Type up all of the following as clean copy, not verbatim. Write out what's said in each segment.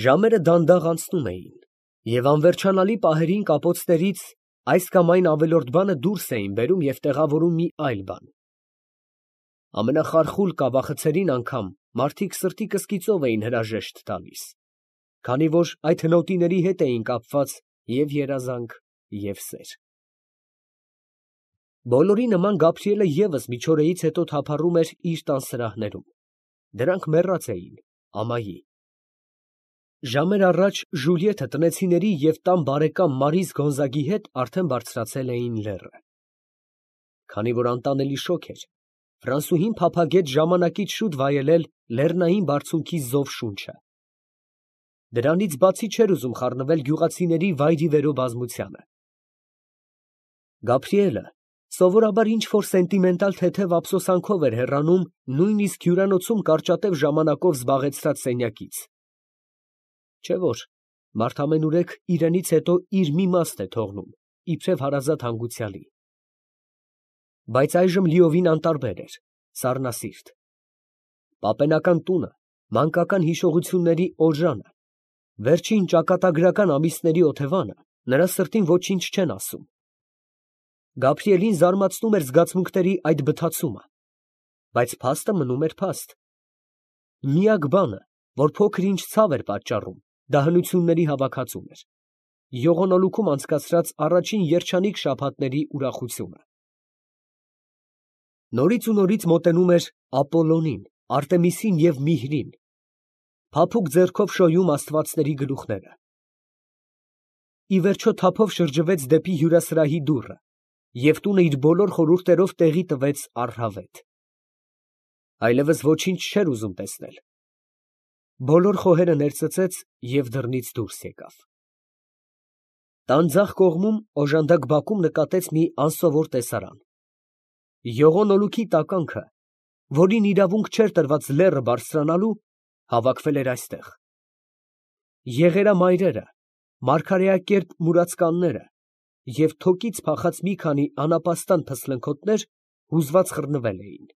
Ժամերը դանդաղ անցնում էին, և անվերջանալի պահերին կապոցներից այս կամ այն ավելորդ բանը դուրս էին բերում և տեղավորում մի այլ բան. ամենախարխուլ կավախցերին անգամ մարդիկ սրտի կսկիծով էին հրաժեշտ տալիս, քանի որ այդ հնոտիների հետ էին կապված և երազանք, և սեր։ Բոլորի նման Գաբրիելը ևս մի չորեից հետո թափառում էր իր տան սրահներում. դրանք մեռած էին ամայի։ Ժամեր առաջ Ժուլիեթը տնեցիների և տան բարեկամ Մարիս Գոնզագի հետ արդեն բարձրացել էին լեռը։ Քանի որ անտանելի շոգ էր, Ֆրանսուհին փափագեց ժամանակից շուտ վայելել լեռնային բարձունքի զով շունչը։ Դրանից բացի չէր ուզում խառնվել գյուղացիների վայրիվերո բազմությանը։ Գաբրիելը սովորաբար ինչ֊որ սենտիմենտալ թեթև ափսոսանքով էր հեռանում նույնիսկ հյուրանոցում կարճատև ժամանակով զբաղեցրած սենյակից։ Չէ՞ որ մարդ ամենուրեք իրենից հետո իր մի մասն է թողնում, իբրև հարազատ հանգուցյալի։ Բայց այժմ լիովին անտարբեր էր, սառնասիրտ։ Պապենական տունը, մանկական հիշողությունների օժանը, վերջին ճակատագրական ամիսների օթևանը նրա սրտին ոչինչ չեն ասում։ Գաբրիելին զարմացնում էր զգացմունքների այդ բթացումը, բայց փաստը մնում էր փաստ։ Միակ բանը, որ փոքր֊ինչ ցավ էր պատճառում, դա հնությունների հավաքածուն էր, եղունոլուքում անցկացրած առաջին երջանիկ շաբաթների ուրախությունը։ Նորից ու նորից մոտենում էր Ապոլլոնին, Արտեմիսին և Միհրին, փափուկ ձեռքով շոյում աստվածների գլուխները։ Ի վերջո թափով շրջվեց դեպի հյուրասրահի դուռը, և տունը իր բոլոր խորհուրդներով տեղի տվեց առհավետ։ Այլևս ոչինչ չէր ուզում տեսնել։ Բոլոր խոհերը ներծծեց և դռնից դուրս եկավ։ Տան ձախ կողմում օժանդակ բակում նկատեց մի անսովոր տեսարան։ Եղունոլուքի տականքը, որին իրավունք չէր տրված լեռը բարձրանալու, հավաքվել էր այստեղ։ Եղերամայրերը, մարգարեակերպ մուրացկանները և թոկից փախած մի քանի անապաստան փսլընքոթներ հուզված խռնվել էին։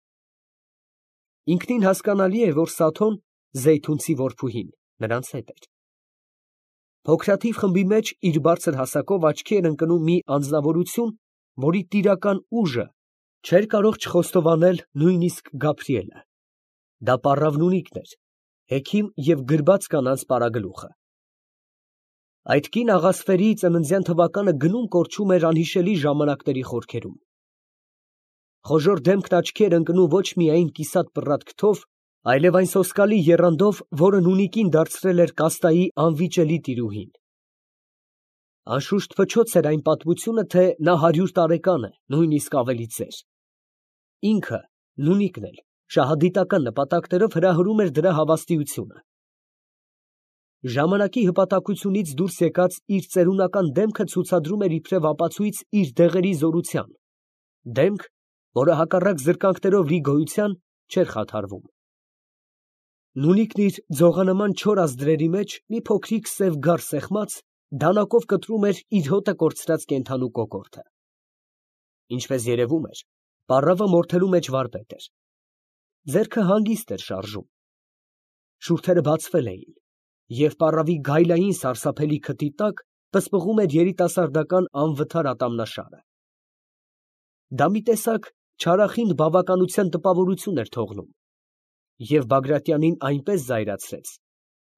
Ինքնին հասկանալի է, որ Սաթոն, Զեյթունցի որբուհին, նրանց հետ էր։ Փոքրաթիվ խմբի մեջ իր բարձր հասակով աչքի էր ընկնում մի անձնավորություն, որի տիրական ուժը չէր կարող չխոստովանել նույնիսկ Գաբրիելը։ Դա պառավնունիկն էր, հեքիմ և գրբաց կանանց պարագլուխը։ Այդ կին աղասպերի ծննդյան թվականը գնում֊կորչում էր անհիշելի ժամանակների խորքերում։ Խոժոռ դեմքն աչքի էր ընկնում ոչ միայն կիսատ պռատ քթով, այլև այն սոսկալի եռանդով, որը նունիկին դարձրել էր կաստայի անվիճելի տիրուհին։ Անշուշտ փչոց էր այն պատմությունը, թե նա 100 տարեկան է, նույնիսկ ավելի ծեր։ Ինքը, նունիկն էլ, շահադիտական նպատակներով հրահրում էր դրա հավաստիությունը։ Ժամանակի հպատակությունից դուրս եկած իր ծերունական դեմքը ցուցադրում էր իբրև ապացույց իր դեղերի զորության, դեմք, որը հակառակ զրկանքներով լի գոյության չէր խաթարվում։ Նունիկն իր ձողանման չոր ազդրերի մեջ մի փոքրիկ սև գար սեղմած, դանակով կտրում էր իր հոտը կորցրած կենդանու կոկորդը։ Ինչպես երևում էր, պառավը մորթելու մեջ վարպետ էր։ Ձեռքը հանգիստ էր շարժում։ Շուրթերը բացվել էին, և պառավի գայլային սարսափելի քթի տակ պսպղում էր երիտասարդական անվթար ատամնաշարը։ Դա մի տեսակ չարախինդ բավականության տպավորություն էր թողնում, և Բագրատյանին այնպես զայրացրեց,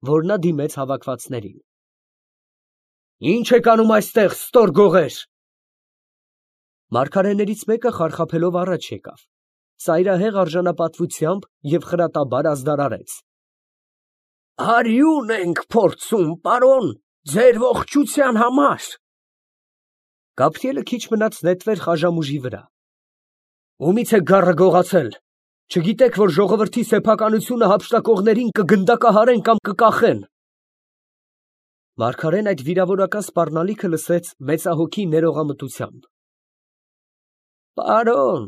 որ նա դիմեց հավաքվածներին. «Ի՞նչ եք անում այստեղ, ստոր գողեր»։ Մարգարեներից մեկը խարխափելով առաջ եկավ, ծայրահեղ արժանապատվությամբ և խրատաբար ազդարարեց. «Արյուն ենք փորձում, պարոն, ձեր ողջության համար»։ Գաբրիելը քիչ մնաց նետվեր խաժամուժի վրա։ «Ումի՞ց եք գառը գողացել, չգիտե՞ք, որ ժողովրդի սեփականությունը հափշտակողներին կգնդակահարեն կամ կկախեն»։ Մարգարեն այդ վիրավորական սպառնալիքը լսեց մեծահոգի ներողամտությամբ. «Պարոն,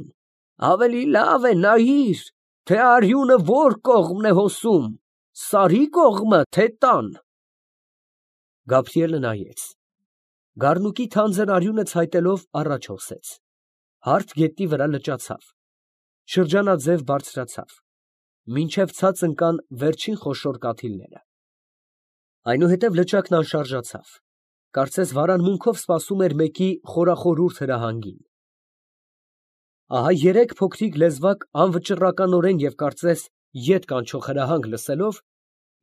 ավելի լավ է նայիր, թե արյունը որ կողմն է հոսում, սարի կողմը, թե տան»։ Գաբրիելը նայեց։ Գառնուկի թանձր արյունը ցայտելով առաջ հոսեց, հարթ գետնի վրա լճացավ, շրջանաձև բարձրացավ, մինչև ցած ընկան վերջին խոշոր կաթիլները։ Այնուհետև լճակն անշարժացավ, կարծես վարանմունքով սպասում էր մեկի խորախորուրդ հրահանգին։ Ահա երեք փոքրիկ լեզվակ անվճռականորեն և կարծես ետ կանչող հրահանգ լսելով,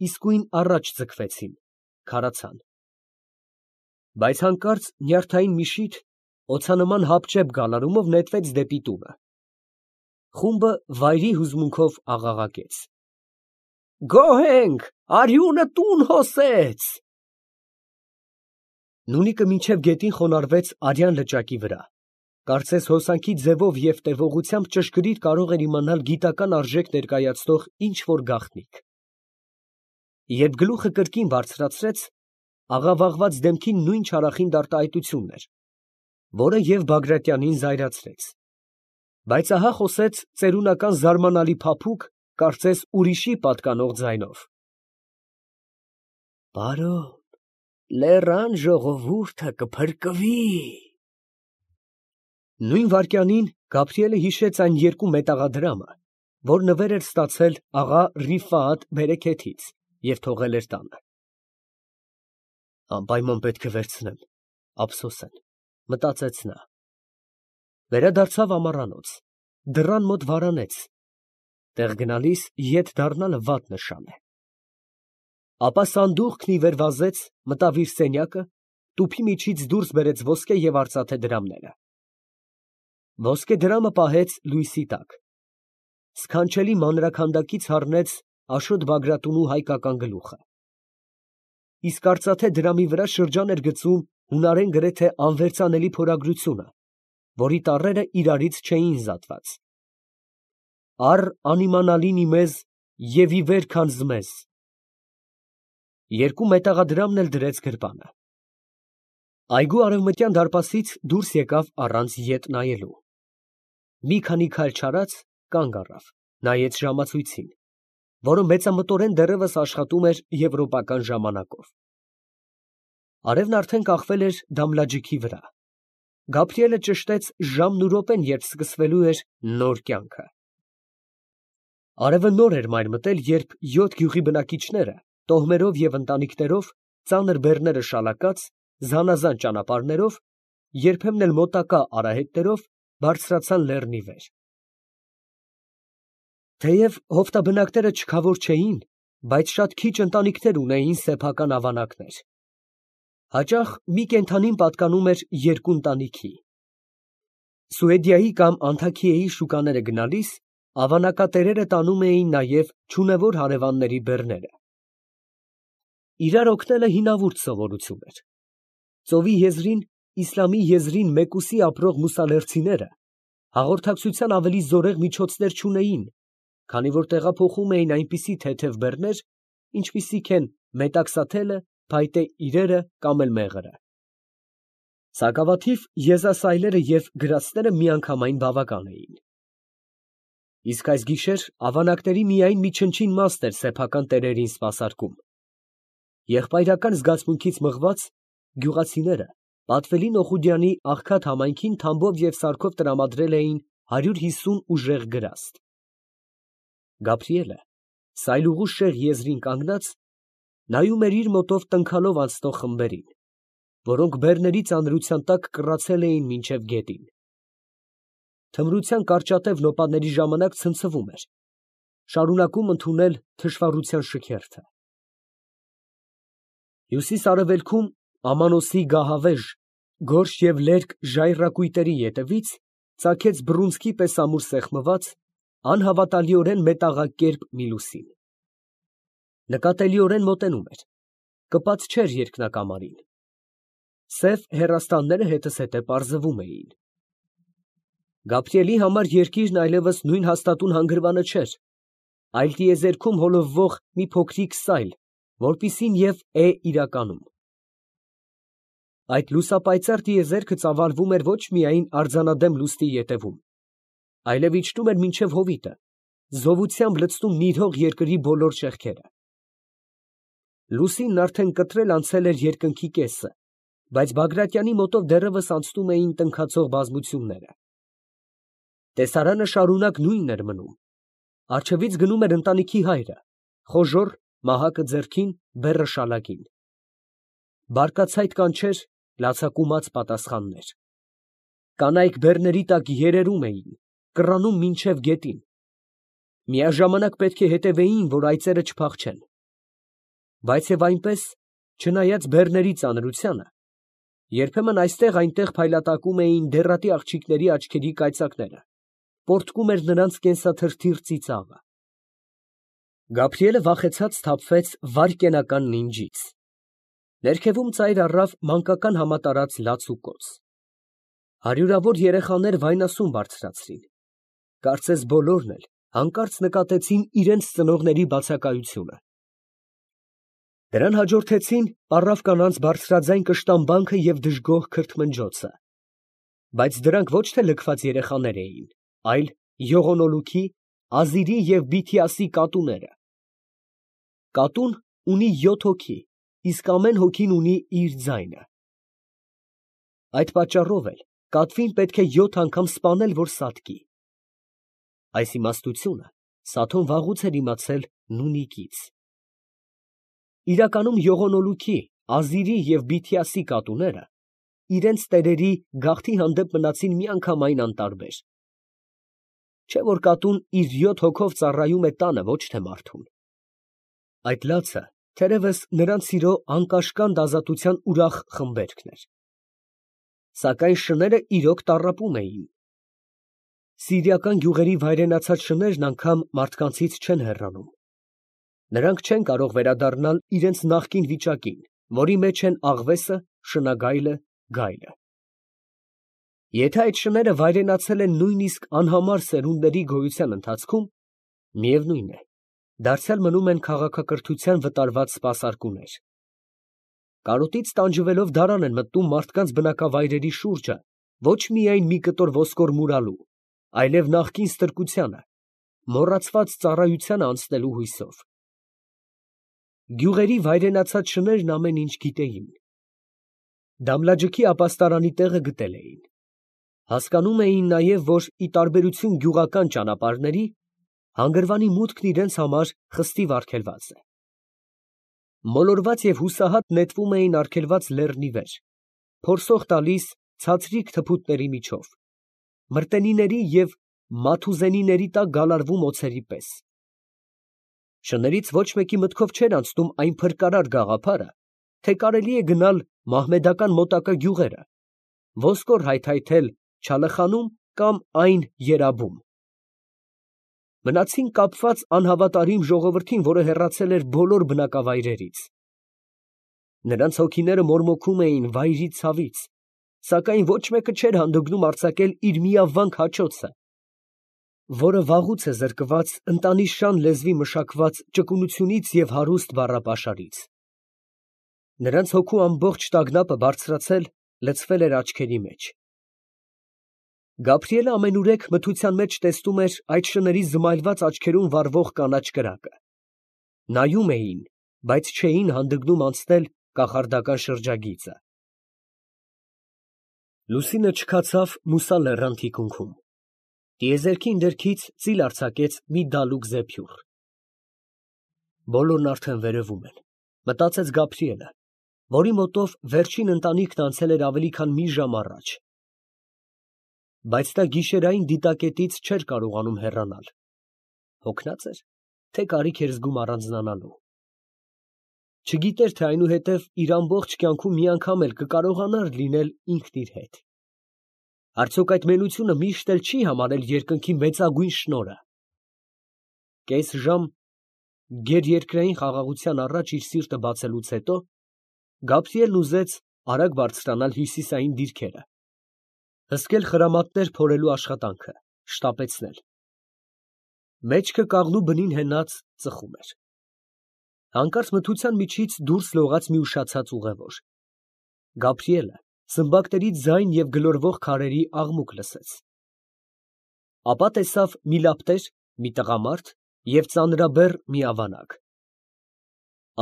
իսկույն առաջ ձգվեցին, քարացան։ Բայց հանկարծ նյարդային մի շիթ օձանման հապճեպ գալարումով նետվեց դեպի տունը։ Խումբը վայրի հուզմունքով աղաղակեց. «Գոհ ենք, արյունը տուն հոսեց»։ Նունիկը մինչև գետին խոնարհվեց արյան լճակի վրա, կարծես հոսանքի ձևով և տևողությամբ ճշգրիտ կարող էր իմանալ գիտական արժեք ներկայացնող ինչ֊որ գաղտնիք։ Երբ գլուխը կրկին բարձրացրեց, աղավաղված դեմքին նույն չարախիտ արտահայտությունն էր, որը և Բագրատյանին զայրացրեց։ Բայց ահա խոսեց ծերունական զարմանալի փափուկ, կարծես ուրիշի պատկանող ձայնով. «Պարոն, լեռան ժողովուրդը կփրկվի»։ Նույն վայրկյանին Գաբրիելը հիշեց այն երկու մետաղադրամը, որ նվեր էր ստացել աղա Ռիֆայաթ բերեքեթից և թողել էր տանը։ «Անպայման պետք է վերցնեմ, ափսոսեն», մտածեց նա։ Վերադարձավ ամառանոց, դռան մոտ վարանեց. տեղ գնալիս ետ դառնալը վատ նշան է։ Ապա սանդուղքն ի վեր վազեց, մտավ իր սենյակը, տուփի միջից դուրս բերեց ոսկե և արծաթե դրամները։ Ոսկե դրամը պահեց լույսի տակ, սքանչելի մանրաքանդակից հառնեց Աշոտ Բագրատունու հայկական գլուխը, իսկ արծաթե դրամի վրա շրջան էր գծում հունարեն գրեթե անվերծանելի փորագրությունը, որի տառերը իրարից չէին զատված. «Առ անիմանալին իմեզ և ի վեր քանզմեզ»։ Երկու մետաղադրամն էլ դրեց գրպանը։ Այգու արևմտյան դարպասից դուրս եկավ առանց ետ նայելու։ Մի քանի քայլ չարած, կանգ առավ, նայեց ժամացույցին, որը մեծամտորեն դեռևս աշխատում էր եվրոպական ժամանակով։ Արևն արդեն կախվել էր Դամլաջիքի վրա։ Գաբրիելը ճշտեց ժամն ու րոպեն, երբ սկսվելու էր նոր կյանքը։ Արևը նոր էր մայր մտել, երբ 7 գյուղի բնակիչները տոհմերով և ընտանիքներով, ծանր բեռները շալակած, զանազան ճանապարհներով, երբեմն էլ մոտակա արահետներով բարձրացան լեռնի վեր։ Թեև հովտաբնակները չքավոր չէին, բայց շատ քիչ ընտանիքներ ունեին սեփական ավանակներ։ Հաճախ մի կենդանին պատկանում էր երկու ընտանիքի։ Սուեդիայի կամ Անթաքիեի շուկաները գնալիս ավանակատերերը տանում էին նաև չունևոր հարևանների բեռները։ Իրար օգնելը հինավուրց սովորություն էր։ Ծովի եզրին, իսլամի եզրին մեկուսի ապրող մուսալերցիները հաղորդակցության ավելի զորեղ միջոցներ չունեին, քանի որ տեղափոխում էին այնպիսի թեթև բեռներ, ինչպիսիք են մետաքսաթելը, փայտե իրերը կամ էլ մեղրը։ Սակավաթիվ եզասայլերը և գրացները միանգամայն բավական էին։ Իսկ այս գիշեր ավանակների միայն մի չնչին մասն էր սեփական տերերին սպասարկում։ Եղբայրական զգացմունքից մղված, գյուղացիները Պատվելին Օխուդյանի աղքատ համայնքին թամբով և սարքով տրամադրել էին 150 ուժեղ գրաստ։ Գաբրիելը, սայլուղու շեղ եզրին կանգնած, նայում էր իր մոտով տնքալով անցնող խմբերին, որոնք բեռների ծանրության տակ կռացել էին մինչև գետին։ Թմրության կարճատև նոպաների ժամանակ ցնցվում էր, շարունակում ընդունել թշվառության շքերթը։ Հյուսիս֊արևելքում Ամանոսի գահավեժ, գորշ և լերկ ժայռակույտերի ետևից ծագեց բռունցքի պես ամուր սեղմված, անհավատալիորեն մետաղակերպ մի լուսին։ Նկատելիորեն մոտենում էր, կպած չէր երկնակամարին։ Սև հեռաստանները հետզհետե պարզվում էին։ Գաբրիելի համար երկիրն այլևս նույն հաստատուն հանգրվանը չէր, այլ տիեզերքում հոլովվող մի փոքրիկ սայլ, որպիսին և է իրականում։ Այդ լուսապայծառ տիեզերքը ծավալվում էր ոչ միայն արձանադեմ լուսնի ետևում, այլև իջնում էր մինչև հովիտը, զովությամբ լցնում նիրհող երկրի բոլոր ճեղքերը։ Լուսինն արդեն կտրել անցել էր երկնքի կեսը, բայց Բագրատյանի մոտով դեռևս անցնում էին տնքացող բազմությունները։ Տեսարանը շարունակ նույնն էր մնում։ Առջևից գնում էր ընտանիքի հայրը, խոժոռ, մահակը ձեռքին, բեռը շալակին։ բարկացայտ կանչեր, լացակումած պատասխաններ։ Կանայք բեռների տակ երերում էին, կռանում մինչև գետին։ Միաժամանակ պետք է հետևեին, որ այծերը չփախչեն։ Բայց և այնպես, չնայած բեռների ծանրությանը, երբեմն այստեղ-այնտեղ փայլատակում էին դեռատի աղջիկների աչքերի կայծակները, պոռթկում էր նրանց կենսաթրթիռ ծիծաղը։ Գաբրիելը վախեցած սթափվեց վայրկենական նինջից։ Ներքևում ծայր առավ մանկական համատարած լաց ու կոծ։ Հարյուրավոր երեխաներ վայնասուն բարձրացրին։ Կարծես բոլորն էլ հանկարծ նկատեցին իրենց ծնողների բացակայությունը։ Դրան հաջորդեցին պառավ կանանց բարձրաձայն կշտամբանքը և դժգոհ քրթմնջոցը։ Բայց դրանք ոչ թե լքված երեխաներ էին, այլ յողոնոլուքի, ազիրի և բիթիասի կատուները։ Կատուն ունի 7 հոգի, իսկ ամեն հոգին ունի իր ձայնը։ Այդ պատճառով էլ կատվին պետք է 7 անգամ սպանել, որ սատկի։ Այս իմաստությունը Սաթոն վաղուց էր իմացել Նունիկից։ Իրականում յողոնոլուքի, ազիրի և բիթիասի կատուները իրենց տերերի գաղթի հանդեպ մնացին միանգամայն անտարբեր։ Չէ՞ որ կատուն իր 7 հոգով ծառայում է տանը, ոչ թե մարդուն։ Այդ լացը թերևս նրանց սիրո անկաշկանդ ազատության ուրախ խմբերգն էր։ Սակայն շները իրոք տառապում էին։ Սիրիական գյուղերի վայրենացած շներն անգամ մարդկանցից չեն հեռանում։ Նրանք չեն կարող վերադառնալ իրենց նախկին վիճակին, որի մեջ են աղվեսը, շնագայլը, գայլը։ Եթե այդ շները վայրենացել են նույնիսկ անհամար սերունդների գոյության ընթացքում, միևնույն է, դարձյալ մնում են քաղաքակրթության վտարված սպասարկուներ։ Կարոտից տանջվելով դարան են մտնում մարդկանց բնակավայրերի շուրջը ոչ միայն մի կտոր ոսկոր մուրալու, այլև նախկին ստրկությանը, մոռացված ծառայությանը անցնելու հույսով։ Գյուղերի վայրենացած շներն ամեն ինչ գիտեին։ Դամլաջքի ապաստարանի տեղը գտել էին։ Հասկանում էին նաև, որ ի տարբերություն գյուղական ճանապարհների, հանգրվանի մուտքն իրենց համար խստիվ արգելված է։ Մոլորված և հուսահատ նետվում էին արգելված լեռնի վեր, փորսող տալիս ցածրիկ թփուտների միջով, մրտենիների և մաթուզենիների տակ գալարվում օձերի պես։ Շներից ոչ մեկի մտքով չէր անցնում այն փրկարար գաղափարը, թե կարելի է գնալ մահմեդական մոտակա գյուղերը, ոսկոր հայթայթել Չալըխանում կամ այն Երաբում։ Մնացին կապված անհավատարիմ ժողովրդին, որը հեռացել էր բոլոր բնակավայրերից։ Նրանց հոգիները մորմոքում էին վայրի ցավից, սակայն ոչ մեկը չէր հանդգնում արձակել իր միավանք հաճոցը, որը վաղուց է զրկված ընտանիշան լեզվի մշակված ճկունությունից և հարուստ բառապաշարից։ Նրանց հոգու ամբողջ տագնապը բարձրացել, լցվել էր աչքերի մեջ։ Գաբրիելը ամենուրեք մթության մեջ տեսնում էր այդ շների զմայլված աչքերում վառվող կանաչ կրակը։ Նայում էին, բայց չէին հանդգնում անցնել կախարդական շրջագիծը։ Լուսինը չքացավ Մուսա լեռան թիկունքում։ Տիեզերքի ընդերքից ծիլ արձակեց մի դալուկ զեփյուռ։ Բոլորն արդեն վերևում են, մտածեց Գաբրիելը, որի մոտով վերջին ընտանիքն անցել էր ավելի քան մի ժամ առաջ։ Բայց նա գիշերային դիտակետից չէր կարողանում հեռանալ։ Հոգնած էր, թե կարիք էր զգում առանձնանալու։ Չգիտեր, թե այնուհետև իր ամբողջ կյանքում մի անգամ էլ կկարողանար լինել ինքն իր հետ։ Արդյոք այդ մենությունը միշտ էլ չի համարել երկնքի մեծագույն շնորհը։ Կես ժամ գերերկրային խաղաղության առաջ իր սիրտը բացելուց հետո Գաբրիելն ուզեց արագ բարձրանալ հյուսիսային դիրքերը, հսկել խրամատներ փորելու աշխատանքը, շտապեցնել։ Մեջքը կաղնու բնին հենած ծխում էր։ Հանկարծ մթության միջից դուրս լողաց մի ուշացած ուղևոր։ Գաբրիելը սմբակների ձայն և գլորվող քարերի աղմուկ լսեց։ Ապա տեսավ մի լապտեր, մի տղամարդ և ծանրաբեռ մի ավանակ։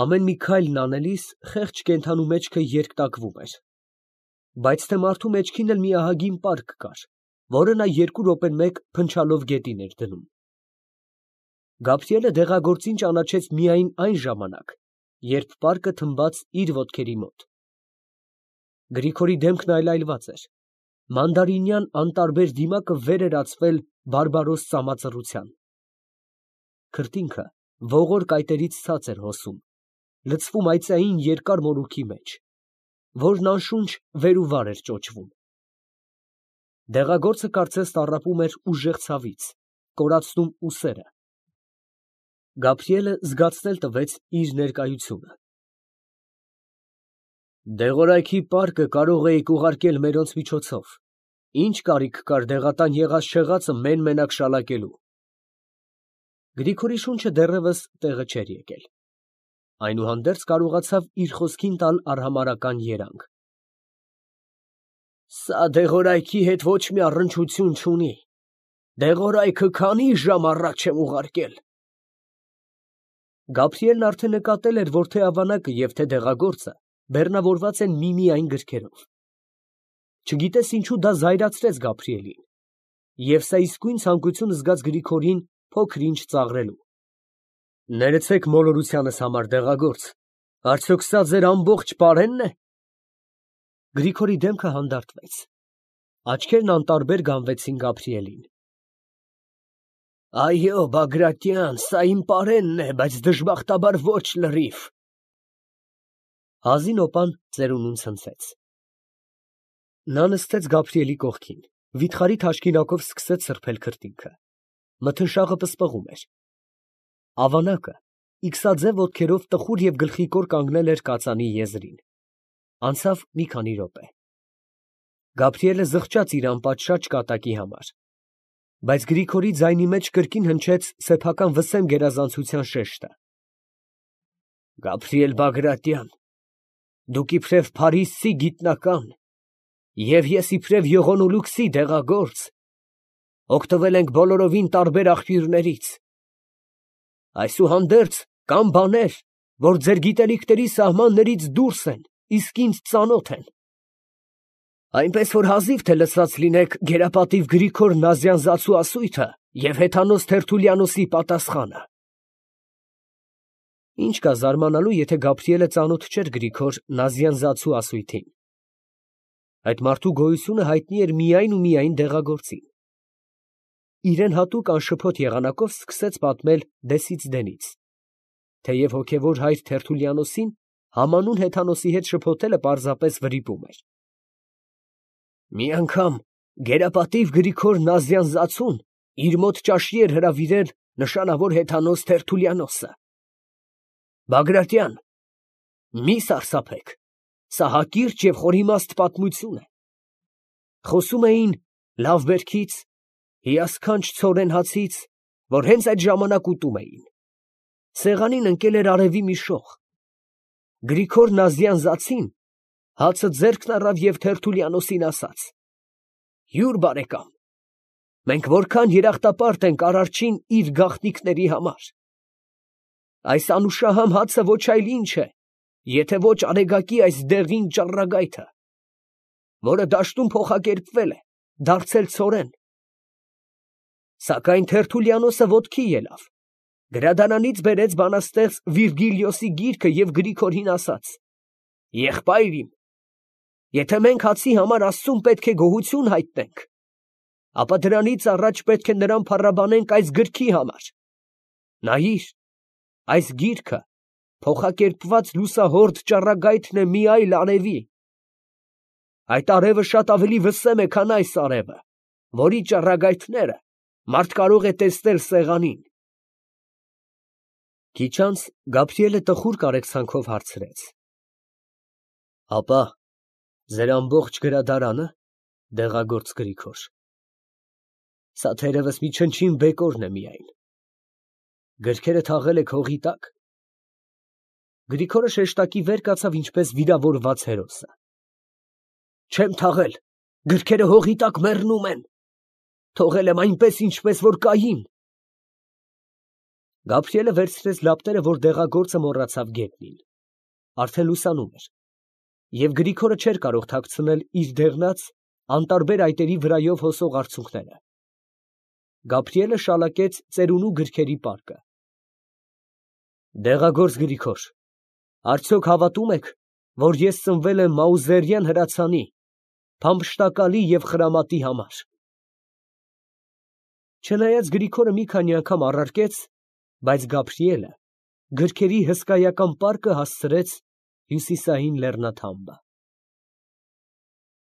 Ամեն մի քայլն անելիս խեղճ կենդանու մեջքը երկտակվում էր։ Բայց թե մարդու մեջքին էլ մի ահագին պարկ կար, որը նա 2 րոպեն մեկ փնչալով գետին էր դնում։ Գաբրիելը դեղագործին ճանաչեց միայն այն ժամանակ, երբ պարկը թմբաց իր ոտքերի մոտ, Գրիգորի դեմքն այլայլված էր։ Մանդարինյան անտարբեր դիմակը վեր էր ածվել բարբարոս ծամածռության։ Քրտինքը ողոր կայտերից ցած էր հոսում, լցվում այծային երկար մորուքի մեջ, որն անշունչ վեր ու վար էր ճոճվում։ Դեղագործը կարծես տառապում էր ուժեղ ցավից, կորացնում ուսերը։ Գաբրիելը զգացնել տվեց իր ներկայությունը։ Դեղորայքի պարկը կարող էիք ուղարկել մերոնց միջոցով, ինչ կարիք կար դեղատան եղած չեղածը մեն֊մենակ շալակելու։ Գրիգորի շունչը դեռևս տեղը չէր եկել, այնուհանդերձ կարողացավ իր խոսքին տալ արհամարհական երանգ։ Սա դեղորայքի հետ ոչ մի առնչություն չունի, դեղորայքը քանի ժամ առաջ եմ ուղարկել։ Գաբրիելն արդեն նկատել էր, որ թե ավանակը և թե դեղագործը բեռնավորված են միմիայն գրքերով։ Չգիտես ինչու դա զայրացրեց Գաբրիելին, և սա իսկույն ցանկություն զգաց Գրիգորին փոքր-ինչ ծաղրելու։ Ներեցեք մոլորությանս համար, դեղագործ, արդյոք սա ձեր ամբողջ պարենն է։ Գրիգորի դեմքը հանդարտվեց, աչքերն անտարբեր գանվեցին Գաբրիելին։ Այո, Բագրատյան, սա իմ պարենն է, բայց դժբախտաբար ոչ լրիվ։ Հազին օպան ծերունուն ցնցեց։ Նա նստեց Գաբրիելի կողքին, վիթխարի թաշկինակով սկսեց սրբել քրտինքը։ Մթնշաղը պսպղում էր։ Ավանակը իքսաձև ոտքերով տխուր և գլխիկոր կանգնել էր կածանի եզրին։ Անցավ մի քանի րոպե։ Գաբրիելը զղջաց իր անպատշաճ կատակի համար, բայց Գրիգորի ձայնի մեջ կրկին հնչեց սեփական վսեմ գերազանցության շեշտը։ Գաբրիել Բագրատյան, դուք իբրև փարիսցի գիտնական, և ես իբրև եղոնոլուքսի դեղագործ, օգտվել ենք բոլորովին տարբեր աղբյուրներից։ Այսուհանդերձ կան բաներ, որ ձեր գիտելիքների սահմաններից դուրս են, իսկ ինձ ծանոթ են։ Այնպես որ հազիվ թե լսած լինեք գերապատիվ Գրիգոր Նազյանզացու ասույթը և հեթանոս Թերթուլյանոսի պատասխանը։ Ինչ կա զարմանալու, եթե Գաբրիելը ծանոթ չէր Գրիգոր Նազյանզացու ասույթին։ Այդ մարդու գոյությունը հայտնի էր միայն ու միայն դեղագործին։ Իրեն հատուկ անշփոթ եղանակով սկսեց պատմել դեսից դենից, թեև հոգևոր հայր Թերթուլյանոսին համանուն հեթանոսի հետ շփոթելը պարզապես վրիպում էր։ Մի անգամ գերապատիվ Գրիգոր Նազյանզացուն իր մոտ ճաշի էր հրավիրել նշանավոր հեթանոս Թերթուլյանոսը։ Բագրատյան, մի սարսափեք, սա հակիրճ և խորիմաստ պատմություն է։ Խոսում էին լավ բերքից, հիասքանչ ցորեն հացից, որ հենց այդ ժամանակ ուտում էին։ Սեղանին ընկել էր արևի մի շող։ Գրիգոր Նազյանզացին հացը ձեռքն առավ և Թերթուլյանոսին ասաց. Հյուր բարեկամ, մենք որքան երախտապարտ ենք Արարչին իր գաղտնիքների համար։ Այս անուշահամ հացը ոչ այլ ինչ է, եթե ոչ արեգակի այս դեղին ճառագայթը, որը դաշտում փոխակերպվել է, դարձել ցորեն։ Սակայն Թերթուլյանոսը ոտքի ելավ, գրադարանից բերեց բանաստեղծ Վիրգիլիոսի գիրքը և Գրիգորին ասաց. Եղբայր իմ, եթե մենք հացի համար Աստծուն պետք է գոհություն հայտնենք, ապա դրանից առաջ պետք է նրան փառաբանենք այս գրքի համար։ Նայիր, այս գիրքը փոխակերպված լուսահորդ ճառագայթն է մի այլ արևի։ Այդ արևը շատ ավելի վսեմ է, քան այս արևը, որի ճառագայթները մարդ կարող է տեսնել սեղանին։ Քիչ անց Գաբրիելը տխուր կարեկցանքով հարցրեց. Ապա ձեր ամբողջ գրադարանը, դեղագործ Գրիգոր։ Սա թերևս մի չնչին բեկորն է միայն։ Գրքերը թաղել եք հողի տակ։ Գրիգորը շեշտակի վեր կացավ ինչպես վիրավորված հերոսը։ Չեմ թաղել, գրքերը հողի տակ մեռնում են։ Թողել եմ այնպես, ինչպես որ կային։ Գաբրիելը վերցրեց լապտերը, որ դեղագործը մոռացավ գետնին։ Արդեն լուսանում էր, և Գրիգորը չէր կարող թաքցնել իր դեղնած, անտարբեր այտերի վրայով հոսող արցունքները։ Գաբրիելը շալակեց ծերունու գրքերի պարկը։ Դեղագործ Գրիգոր, արդյոք հավատում եք, որ ես ծնվել եմ Մաուզերյան հրացանի, փամփշտակալի և խրամատի համար։ Չնայած Գրիգորը մի քանի անգամ առարկեց, բայց Գաբրիելը գրքերի հսկայական պարկը հասցրեց հյուսիսային լեռնաթամբը։